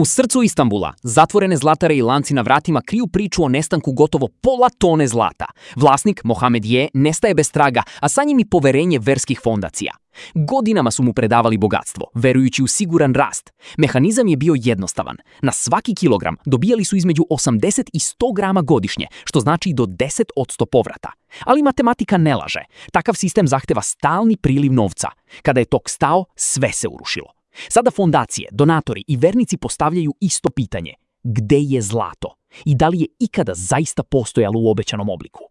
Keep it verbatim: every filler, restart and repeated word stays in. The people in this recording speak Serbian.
U srcu Istanbula, zatvorene zlatare i lanci na vratima kriju priču o nestanku gotovo pola tone zlata. Vlasnik, Mohamed Je, nestaje bez traga, a sa njim i poverenje verskih fondacija. Godinama su mu predavali bogatstvo, verujući u siguran rast. Mehanizam je bio jednostavan. Na svaki kilogram dobijali su između osamdeset i sto grama godišnje, što znači do deset posto povrata. Ali matematika ne laže. Takav sistem zahteva stalni priliv novca. Kada je tok stao, sve se urušilo. Sada fondacije, donatori i vernici postavljaju isto pitanje. Gde je zlato? I da li je ikada zaista postojalo u obećanom obliku?